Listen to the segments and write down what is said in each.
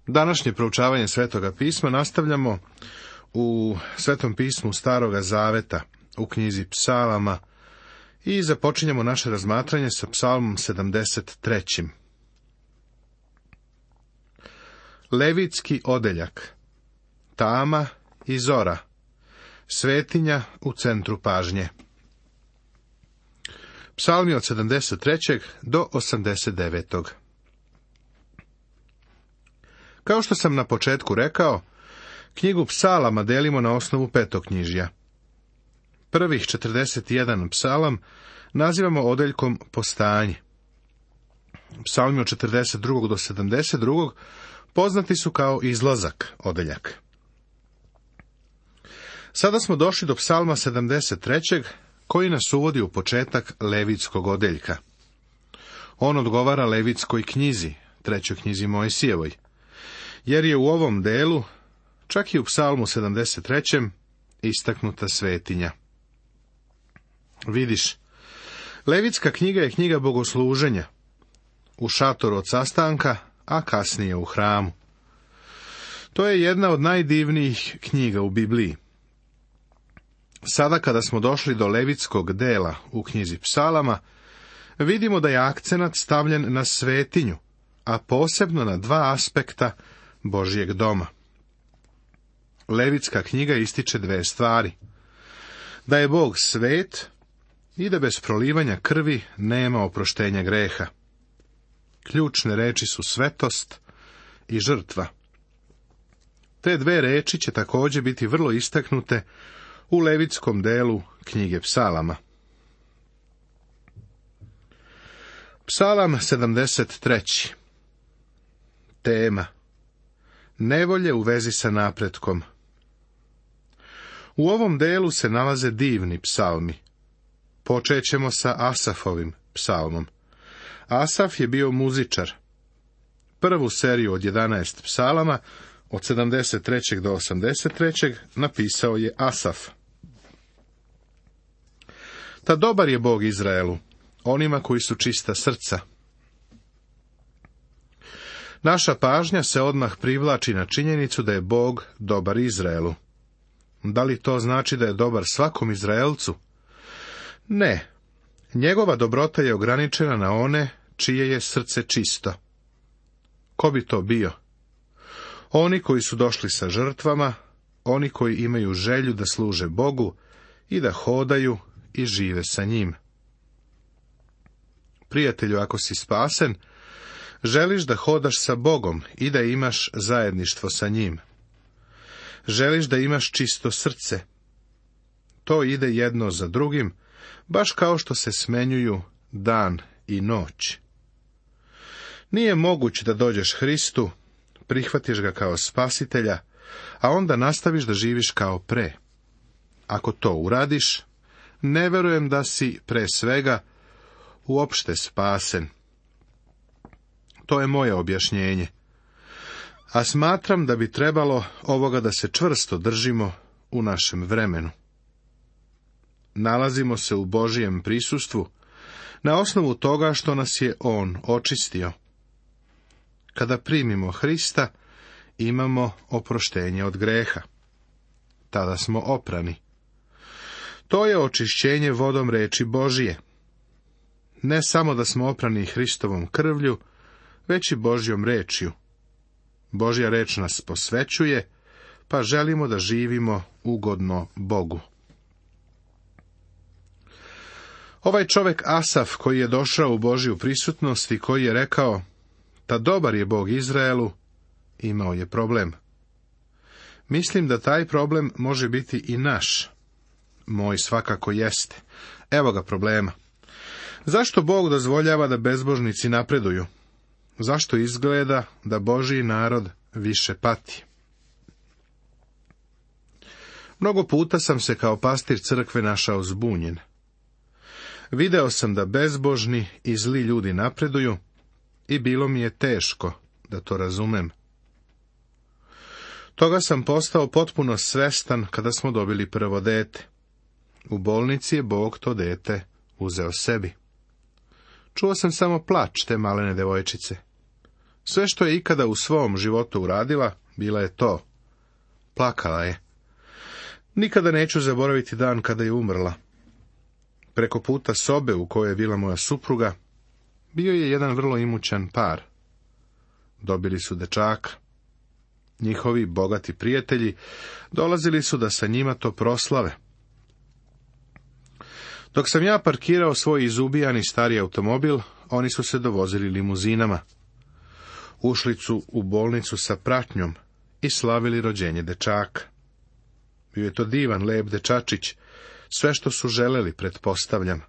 Današnje proučavanje Svetoga pisma nastavljamo u Svetom pismu Staroga Zaveta, u knjizi Psalama, i započinjemo naše razmatranje sa Psalmom 73. Levitski odeljak, tama i zora, svetinja u centru pažnje. Psalmi od 73. do 89. Kao što sam na početku rekao, knjigu Psalama delimo na osnovu petoknjižja. Prvih 41 psalam nazivamo odeljkom Postanje. Psalmi od 42. do 72. poznati su kao Izlazak odeljak. Sada smo došli do Psalma 73. koji nas uvodi u početak Levitskog odeljka. On odgovara Levitskoj knjizi, trećoj knjizi Mojsijevoj, jer je u ovom delu, čak i u Psalmu 73. istaknuta svetinja. Vidiš, Levitska knjiga je knjiga bogosluženja, u šatoru od sastanka, a kasnije u hramu. To je jedna od najdivnijih knjiga u Bibliji. Sada kada smo došli do Levitskog dela u knjizi Psalama, vidimo da je akcenat stavljen na svetinju, a posebno na dva aspekta Božjeg doma. Levitska knjiga ističe dve stvari: da je Bog svet i da bez prolivanja krvi nema oproštenja greha. Ključne reči su svetost i žrtva. Te dve reči će također biti vrlo istaknute u Levitskom delu knjige Psalama. Psalam 73. Tema: nevolje u vezi sa napretkom. U ovom delu se nalaze divni psalmi. Počet ćemo sa Asafovim psalmom. Asaf je bio muzičar. Prvu seriju od 11 psalama, od 73. do 83. napisao je Asaf. Ta dobar je Bog Izraelu, onima koji su čista srca. Naša pažnja se odmah privlači na činjenicu da je Bog dobar Izraelu. Da li to znači da je dobar svakom Izraelcu? Ne. Njegova dobrota je ograničena na one čije je srce čisto. Ko bi to bio? Oni koji su došli sa žrtvama, oni koji imaju želju da služe Bogu i da hodaju i žive sa njim. Prijatelju, ako si spasen, želiš da hodaš sa Bogom i da imaš zajedništvo sa njim. Želiš da imaš čisto srce. To ide jedno za drugim, baš kao što se smenjuju dan i noć. Nije moguće da dođeš Hristu, prihvatiš ga kao spasitelja, a onda nastaviš da živiš kao pre. Ako to uradiš, ne verujem da si pre svega uopšte spasen. To je moje objašnjenje. A smatram da bi trebalo ovoga da se čvrsto držimo u našem vremenu. Nalazimo se u Božijem prisustvu na osnovu toga što nas je On očistio. Kada primimo Hrista, imamo oproštenje od greha. Tada smo oprani. To je očišćenje vodom reči Božije. Ne samo da smo oprani Hristovom krvlju, već i Božjom rečju. Božja reč nas posvećuje, pa želimo da živimo ugodno Bogu. Ovaj čovjek Asaf, koji je došao u Božju prisutnost i koji je rekao: ta dobar je Bog Izraelu, imao je problem. Mislim da taj problem može biti i naš. Moj svakako jeste. Evo ga problema. Zašto Bog dozvoljava da bezbožnici napreduju? Zašto izgleda da Božji narod više pati? Mnogo puta sam se kao pastir crkve našao zbunjen. Video sam da bezbožni i zli ljudi napreduju i bilo mi je teško da to razumem. Toga sam postao potpuno svestan kada smo dobili prvo dete. U bolnici je Bog to dete uzeo sebi. Čuo sam samo plač te malene devojčice. Sve što je ikada u svom životu uradila, bila je to. Plakala je. Nikada neću zaboraviti dan kada je umrla. Preko puta sobe u kojoj je bila moja supruga, bio je jedan vrlo imućan par. Dobili su dečaka. Njihovi bogati prijatelji dolazili su da sa njima to proslave. Dok sam ja parkirao svoj izubijani stari automobil, oni su se dovozili limuzinama. Ušli su u bolnicu sa pratnjom i slavili rođenje dečaka. Bio je to divan, lep dečačić, sve što su želeli, pretpostavljam.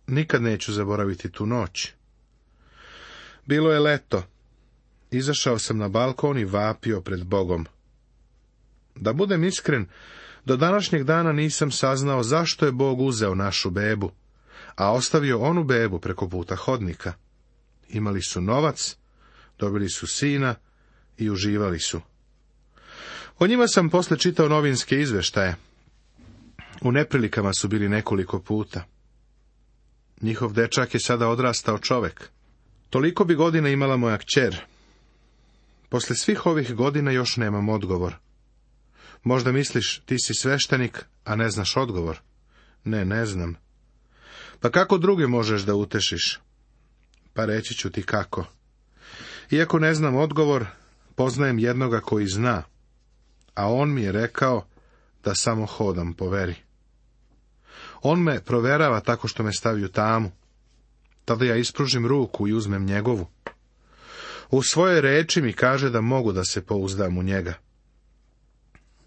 Nikad neću zaboraviti tu noć. Bilo je leto. Izašao sam na balkon i vapio pred Bogom. Da budem iskren, do današnjeg dana nisam saznao zašto je Bog uzeo našu bebu, a ostavio onu bebu preko puta hodnika. Imali su novac, dobili su sina i uživali su. O njima sam posle čitao novinske izveštaje. U neprilikama su bili nekoliko puta. Njihov dečak je sada odrastao čovek. Toliko bi godina imala moja kćer. Posle svih ovih godina još nemam odgovor. Možda misliš, ti si sveštenik, a ne znaš odgovor. Ne, ne znam. Pa kako druge možeš da utešiš? Pa reći ću ti kako. Iako ne znam odgovor, poznajem jednoga koji zna, a on mi je rekao da samo hodam po veri. On me proverava tako što me stavi u tamu. Tada ja ispružim ruku i uzmem njegovu. U svojoj reči mi kaže da mogu da se pouzdam u njega.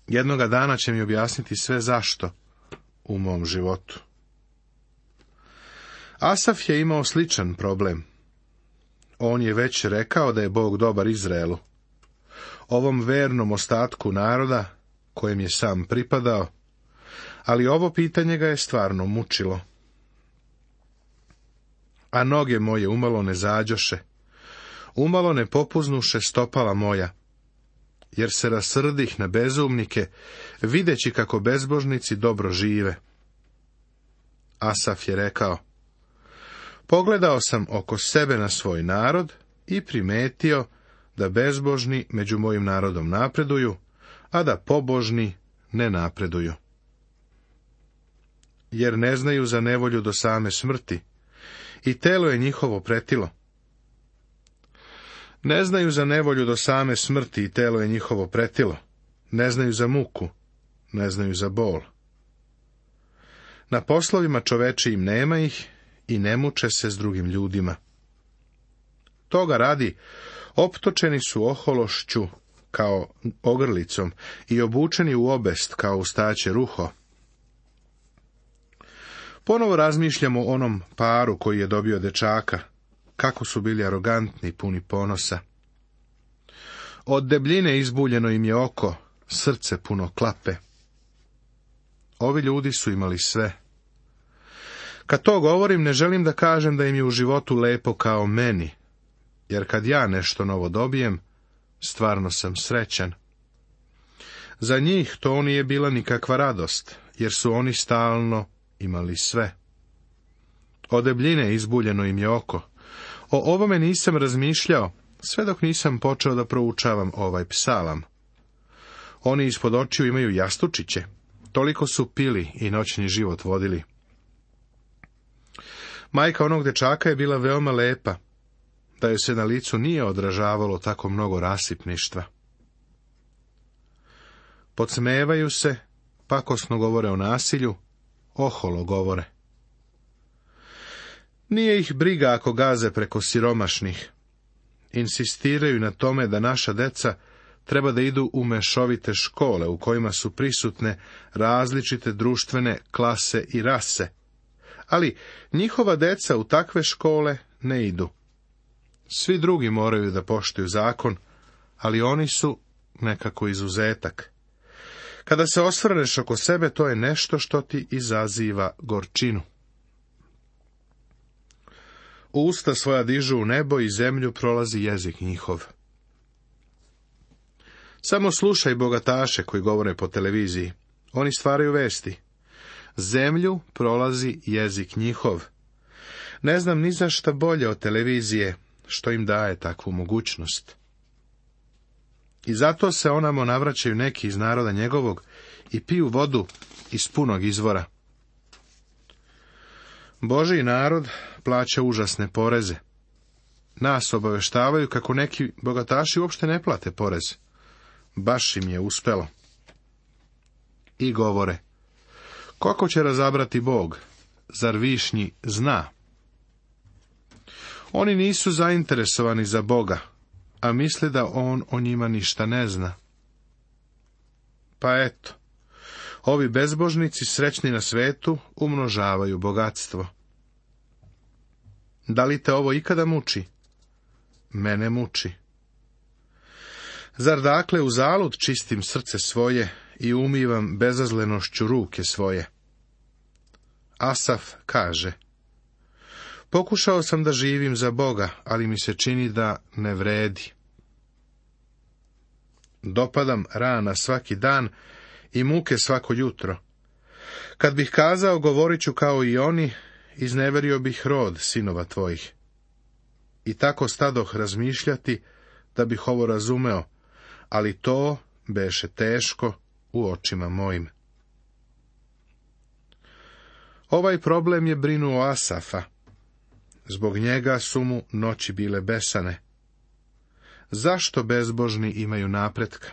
Jednoga dana će mi objasniti sve zašto u mom životu. Asaf je imao sličan problem. On je već rekao da je Bog dobar Izraelu. Ovom vernom ostatku naroda, kojem je sam pripadao, ali ovo pitanje ga je stvarno mučilo. A noge moje umalo ne zađoše, umalo ne popuznuše stopala moja, jer se rasrdih na bezumnike, videći kako bezbožnici dobro žive. Asaf je rekao, pogledao sam oko sebe na svoj narod i primetio da bezbožni među mojim narodom napreduju, a da pobožni ne napreduju. Jer ne znaju za nevolju do same smrti, i telo je njihovo pretilo. Ne znaju za nevolju do same smrti i telo je njihovo pretilo. Ne znaju za muku, ne znaju za bol. Na poslovima čovečijim nema ih i ne muče se s drugim ljudima. Toga radi, optočeni su ohološću kao ogrlicom i obučeni u obest kao u staće ruho. Ponovo razmišljamo o onom paru koji je dobio dečaka, kako su bili arogantni, puni ponosa. Od debljine izbuljeno im je oko, srce puno klape. Ovi ljudi su imali sve. Kad to govorim, ne želim da kažem da im je u životu lepo kao meni, jer kad ja nešto novo dobijem, stvarno sam srećan. Za njih to nije bila nikakva radost, jer su oni stalno imali sve. Od debljine izbuljeno im je oko. O ovome nisam razmišljao, sve dok nisam počeo da proučavam ovaj psalam. Oni ispod očiju imaju jastučiće, toliko su pili i noćni život vodili. Majka onog dečaka je bila veoma lepa, da joj se na licu nije odražavalo tako mnogo rasipništva. Podsmevaju se, pakosno govore o nasilju, oholo govore. Nije ih briga ako gaze preko siromašnih. Insistiraju na tome da naša deca treba da idu u mešovite škole u kojima su prisutne različite društvene klase i rase. Ali njihova deca u takve škole ne idu. Svi drugi moraju da poštuju zakon, ali oni su nekako izuzetak. Kada se osvrneš oko sebe, to je nešto što ti izaziva gorčinu. Usta svoja dižu u nebo i zemlju prolazi jezik njihov. Samo slušaj bogataše koji govore po televiziji. Oni stvaraju vesti. Zemlju prolazi jezik njihov. Ne znam ni za šta bolje od televizije, što im daje takvu mogućnost. I zato se onamo navraćaju neki iz naroda njegovog i piju vodu iz punog izvora. Božji narod plaća užasne poreze. Nas obaveštavaju kako neki bogataši uopšte ne plate porez. Baš im je uspelo. I govore, kako će razabrati Bog? Zar višnji zna? Oni nisu zainteresovani za Boga, a misle da on o njima ništa ne zna. Pa eto, ovi bezbožnici srećni na svetu umnožavaju bogatstvo. Da li te ovo ikada muči? Mene muči. Zar dakle uzalud čistim srce svoje i umivam bezazlenošću ruke svoje? Asaf kaže, pokušao sam da živim za Boga, ali mi se čini da ne vredi. Dopadam rana svaki dan i muke svako jutro. Kad bih kazao, govorit ću kao i oni, izneverio bih rod sinova tvojih. I tako stadoh razmišljati da bih ovo razumeo, ali to beše teško u očima mojim. Ovaj problem je brinuo Asafa. Zbog njega su mu noći bile besane. Zašto bezbožni imaju napretka?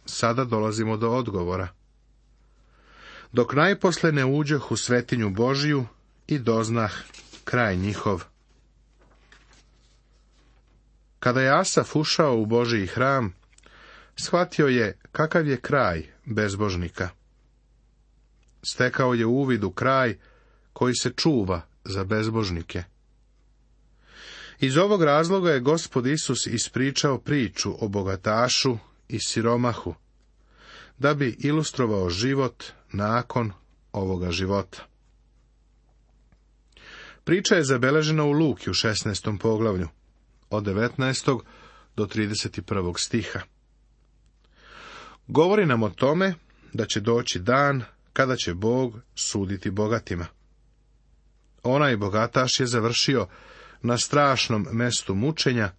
Sada dolazimo do odgovora. Dok najposle ne uđoh u svetinju Božiju i doznah kraj njihov. Kada je Asaf ušao u Božiji hram, shvatio je kakav je kraj bezbožnika. Stekao je uvid u kraj koji se čuva za bezbožnike. Iz ovog razloga je Gospod Isus ispričao priču o bogatašu i siromahu, da bi ilustrovao život nakon ovoga života. Priča je zabeležena u Luki u 16. poglavlju, od 19. do 31. stiha. Govori nam o tome da će doći dan kada će Bog suditi bogatima. Onaj bogataš je završio na strašnom mestu mučenja,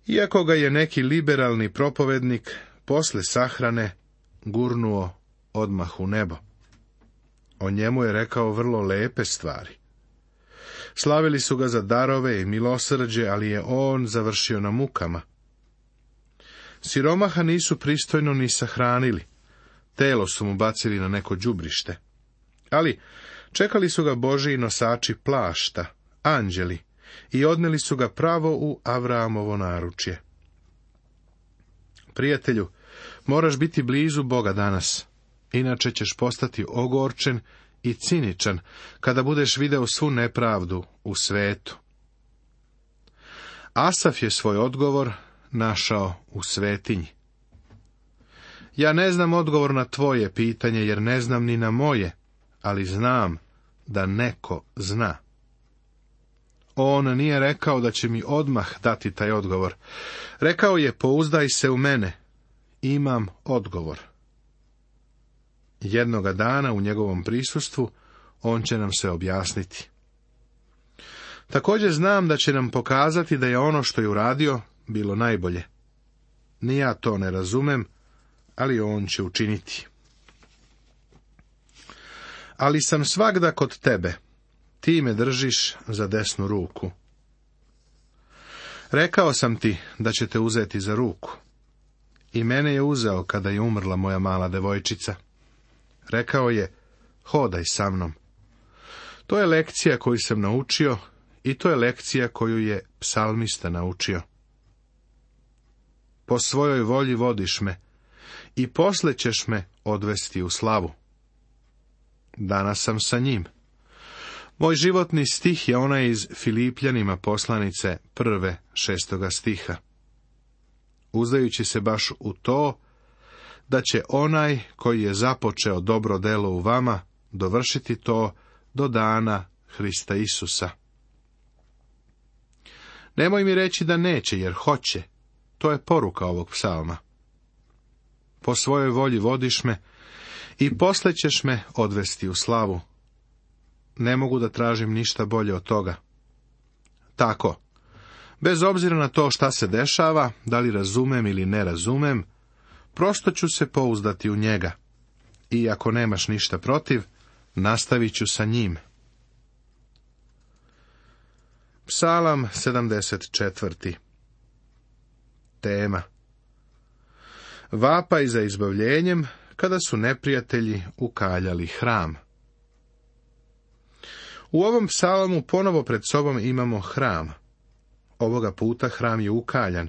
iako ga je neki liberalni propovednik posle sahrane gurnuo odmah u nebo. O njemu je rekao vrlo lepe stvari. Slavili su ga za darove i milosrđe, ali je on završio na mukama. Siromaha nisu pristojno ni sahranili, telo su mu bacili na neko đubrište. Ali čekali su ga Božji nosači plašta, anđeli, i odneli su ga pravo u Avramovo naručje. Prijatelju, moraš biti blizu Boga danas, inače ćeš postati ogorčen i ciničan kada budeš video svu nepravdu u svetu. Asaf je svoj odgovor našao u svetinji. Ja ne znam odgovor na tvoje pitanje, jer ne znam ni na moje, ali znam da neko zna. On nije rekao da će mi odmah dati taj odgovor. Rekao je, pouzdaj se u mene, imam odgovor. Jednoga dana u njegovom prisustvu on će nam se objasniti. Također znam da će nam pokazati da je ono što je uradio bilo najbolje. Ni ja to ne razumem, ali on će učiniti. Ali sam svagda kod tebe, ti me držiš za desnu ruku. Rekao sam ti da će te uzeti za ruku. I mene je uzeo kada je umrla moja mala devojčica. Rekao je, hodaj sa mnom. To je lekcija koju sam naučio i to je lekcija koju je psalmista naučio. Po svojoj volji vodiš me i posle ćeš me odvesti u slavu. Danas sam sa njim. Moj životni stih je onaj iz Filipljanima poslanice 1. 6. stiha. Uzdajući se baš u to, da će onaj koji je započeo dobro delo u vama dovršiti to do dana Hrista Isusa. Nemoj mi reći da neće, jer hoće. To je poruka ovog psalma. Po svojoj volji vodiš me i posle ćeš me odvesti u slavu. Ne mogu da tražim ništa bolje od toga. tako. Bez obzira na to šta se dešava, da li razumem ili ne razumem, prosto ću se pouzdati u njega. I ako nemaš ništa protiv, nastavit ću sa njim. Psalam 74. Tema: vapaj za izbavljenjem kada su neprijatelji ukaljali hram. U ovom psalamu ponovo pred sobom imamo hram. Ovoga puta hram je ukaljan.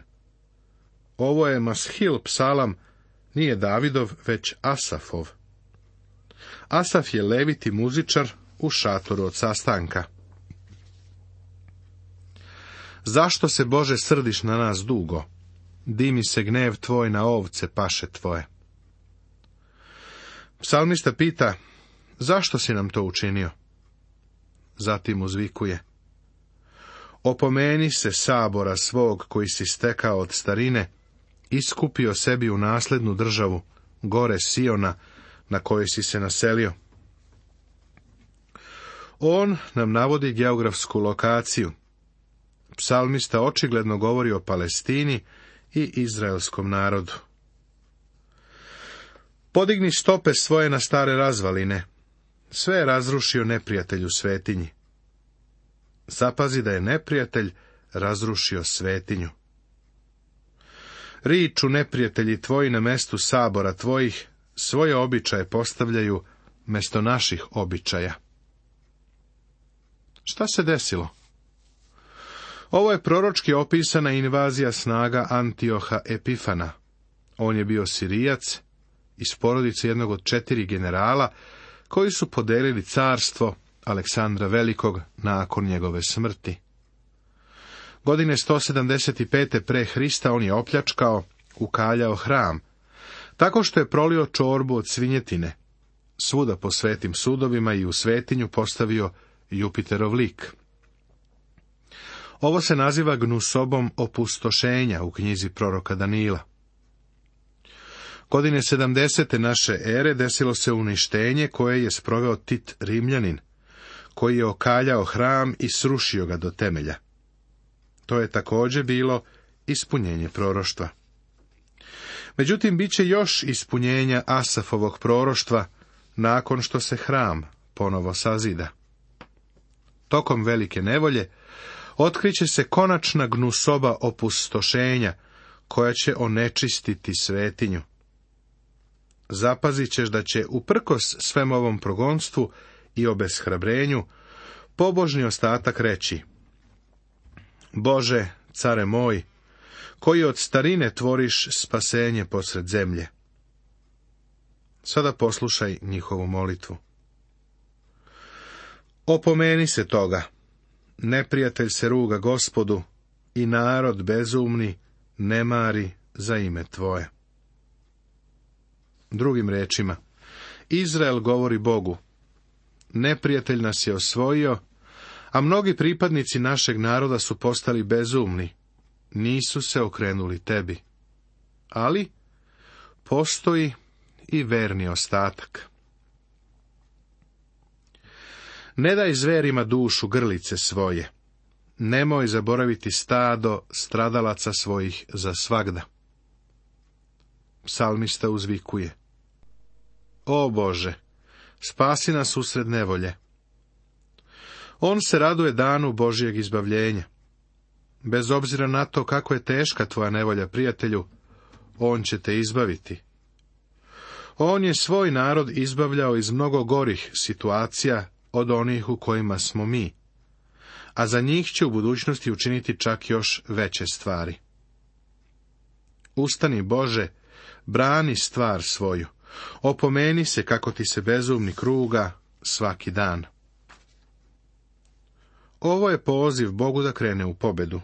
Ovo je Mashil psalam, nije Davidov, već Asafov. Asaf je leviti muzičar u šatoru od sastanka. Zašto se, Bože, srdiš na nas dugo? Dimi se gnev tvoj na ovce paše tvoje. Psalmista pita, zašto si nam to učinio? Zatim uzvikuje, opomeni se sabora svog koji si stekao od starine, iskupio sebi u naslednu državu, gore Siona, na kojoj si se naselio. On nam navodi geografsku lokaciju. Psalmista očigledno govori o Palestini i izraelskom narodu. Podigni stope svoje na stare razvaline. Sve je razrušio neprijatelj u svetinji. Zapazi da je neprijatelj razrušio svetinju. Riču neprijatelji tvoji na mestu sabora tvojih, svoje običaje postavljaju mesto naših običaja. Šta se desilo? Ovo je proročki opisana invazija snaga Antioha Epifana. On je bio Sirijac iz porodice jednog od 4 generala koji su podelili carstvo Aleksandra Velikog nakon njegove smrti. Godine 175. pre Hrista on je opljačkao, ukaljao hram, tako što je prolio čorbu od svinjetine. Svuda po svetim sudovima i u svetinju postavio Jupiterov lik. Ovo se naziva gnusobom opustošenja u knjizi proroka Danila. Godine 70. naše ere desilo se uništenje koje je sproveo Tit Rimljanin, koji je okaljao hram i srušio ga do temelja. To je također bilo ispunjenje proroštva. Međutim, bit će još ispunjenja Asafovog proroštva nakon što se hram ponovo sazida. Tokom velike nevolje otkriće se konačna gnusoba opustošenja koja će onečistiti svetinju. Zapazit ćeš da će uprkos svem ovom progonstvu i obeshrabrenju pobožni ostatak reći: Bože, care moj, koji od starine tvoriš spasenje posred zemlje. Sada poslušaj njihovu molitvu. Opomeni se toga. Neprijatelj se ruga Gospodu i narod bezumni ne mari za ime tvoje. Drugim rečima, Izrael govori Bogu: neprijatelj nas je osvojio, a mnogi pripadnici našeg naroda su postali bezumni, nisu se okrenuli tebi. Ali postoji i verni ostatak. Ne daj zverima dušu grlice svoje, nemoj zaboraviti stado stradalaca svojih za svagda. Psalmista uzvikuje: O Bože, spasi nas usred nevolje. On se raduje danu Božijeg izbavljenja. Bez obzira na to kako je teška tvoja nevolja, prijatelju, on će te izbaviti. On je svoj narod izbavljao iz mnogo gorih situacija od onih u kojima smo mi, a za njih će u budućnosti učiniti čak još veće stvari. Ustani, Bože, brani stvar svoju, opomeni se kako ti se bezumni kruga svaki dan. Ovo je poziv Bogu da krene u pobedu.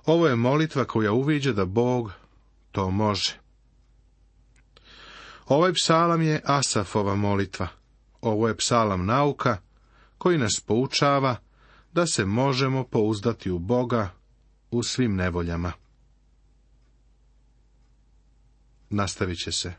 Ovo je molitva koja uviđa da Bog to može. Ovaj psalam je Asafova molitva. Ovo je psalam nauka koji nas poučava da se možemo pouzdati u Boga u svim nevoljama. Nastavit će se.